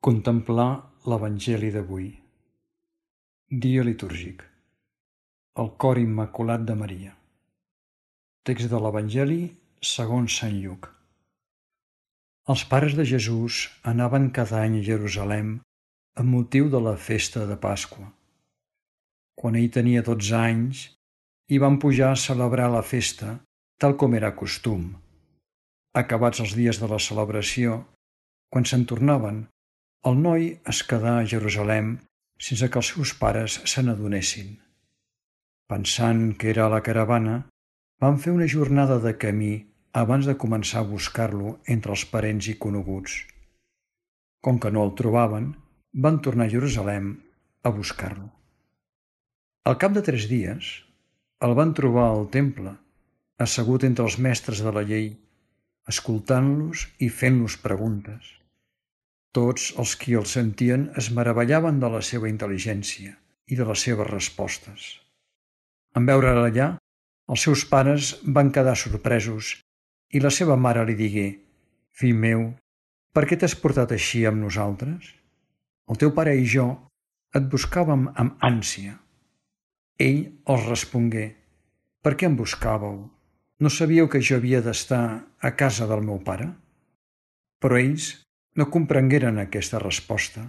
Contemplar l'Evangeli d'avui. Dia litúrgic. El cor immaculat de Maria. Text de l'Evangeli segons Sant Lluc. Els pares de Jesús anaven cada any a Jerusalem amb motiu de la festa de Pasqua. Quan ell tenia 12 anys, hi van pujar a celebrar la festa tal com era costum. Acabats els dies de la celebració, quan se'n tornaven, el noi es quedà a Jerusalem sense que els seus pares se n'adonessin. Pensant que era a la caravana, van fer una jornada de camí abans de començar a buscar-lo entre els parents i coneguts. Com que no el trobaven, van tornar a Jerusalem a buscar-lo. Al cap de 3 dies, el van trobar al temple, assegut entre els mestres de la llei, escoltant-los i fent-los preguntes. Tots els qui el sentien es meravellaven de la seva intel·ligència i de les seves respostes. En veure'l allà, els seus pares van quedar sorpresos i la seva mare li digué: «Fill meu, per què t'has portat així amb nosaltres? El teu pare i jo et buscàvem amb ànsia». Ell els respongué: «Per què em buscàveu? No sabíeu que jo havia d'estar a casa del meu pare?» Però ells no comprengueren aquesta resposta.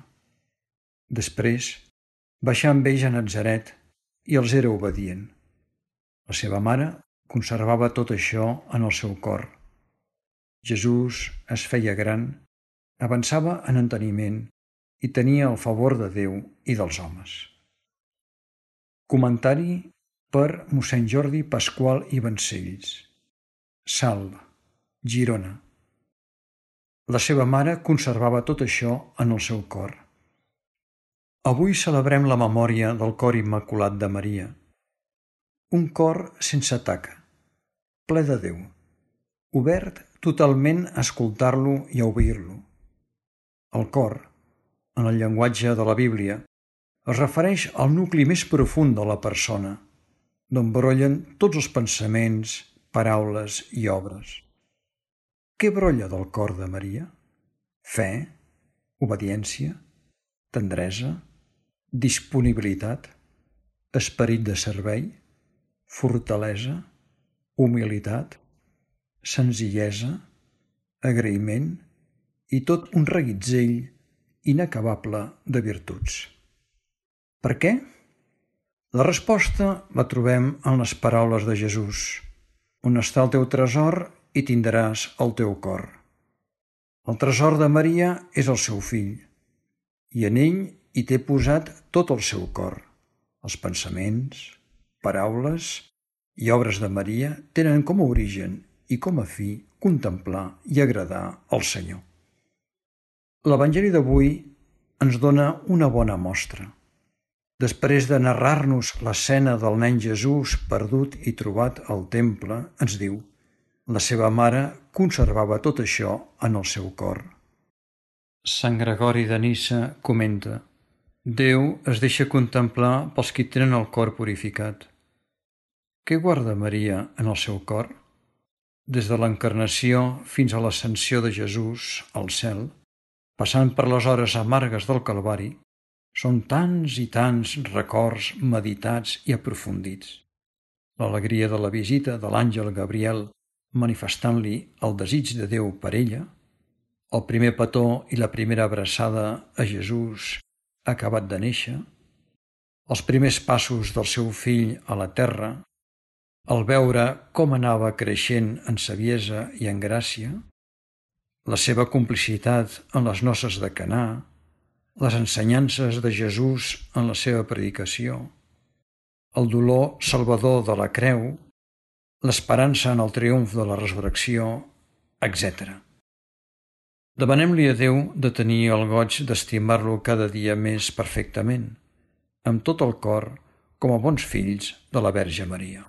Després baixà amb ells a Natzaret i els era obedient. La seva mare conservava tot això en el seu cor. Jesús es feia gran, avançava en enteniment i tenia el favor de Déu i dels homes. Comentari per mossèn Jordi Pasqual i Vancells. Salt, Girona. La seva mare conservava tot això en el seu cor. Avui celebrem la memòria del cor immaculat de Maria. Un cor sense taca, ple de Déu, obert totalment a escoltar-lo i a obeir-lo. El cor, en el llenguatge de la Bíblia, es refereix al nucli més profund de la persona, d'on brollen tots els pensaments, paraules i obres. Què brolla del cor de Maria? Fe, obediència, tendresa, disponibilitat, esperit de servei, fortalesa, humilitat, senzillesa, agraïment i tot un reguitzell inacabable de virtuts. Per què? La resposta la trobem en les paraules de Jesús: «On està el teu tresor, i tindràs el teu cor». El tresor de Maria és el seu fill, i en ell hi té posat tot el seu cor. Els pensaments, paraules i obres de Maria tenen com a origen i com a fi contemplar i agradar al Senyor. L'Evangeli d'avui ens dona una bona mostra. Després de narrar-nos l'escena del nen Jesús perdut i trobat al temple, ens diu: la seva mare conservava tot això en el seu cor. Sant Gregori de Nissa comenta: Déu es deixa contemplar pels qui tenen el cor purificat. Què guarda Maria en el seu cor? Des de l'encarnació fins a l'ascensió de Jesús al cel, passant per les hores amargues del Calvari, són tants i tants records meditats i aprofundits. L'alegria de la visita de l'àngel Gabriel manifestant-li el desig de Déu per ella, el primer petó i la primera abraçada a Jesús acabat de néixer, els primers passos del seu fill a la terra, el veure com anava creixent en saviesa i en gràcia, la seva complicitat en les noces de Canà, les ensenyances de Jesús en la seva predicació, el dolor salvador de la creu, l'esperança en el triomf de la resurrecció, etc. Demanem-li a Déu de tenir el goig d'estimar-lo cada dia més perfectament, amb tot el cor, com a bons fills de la Verge Maria.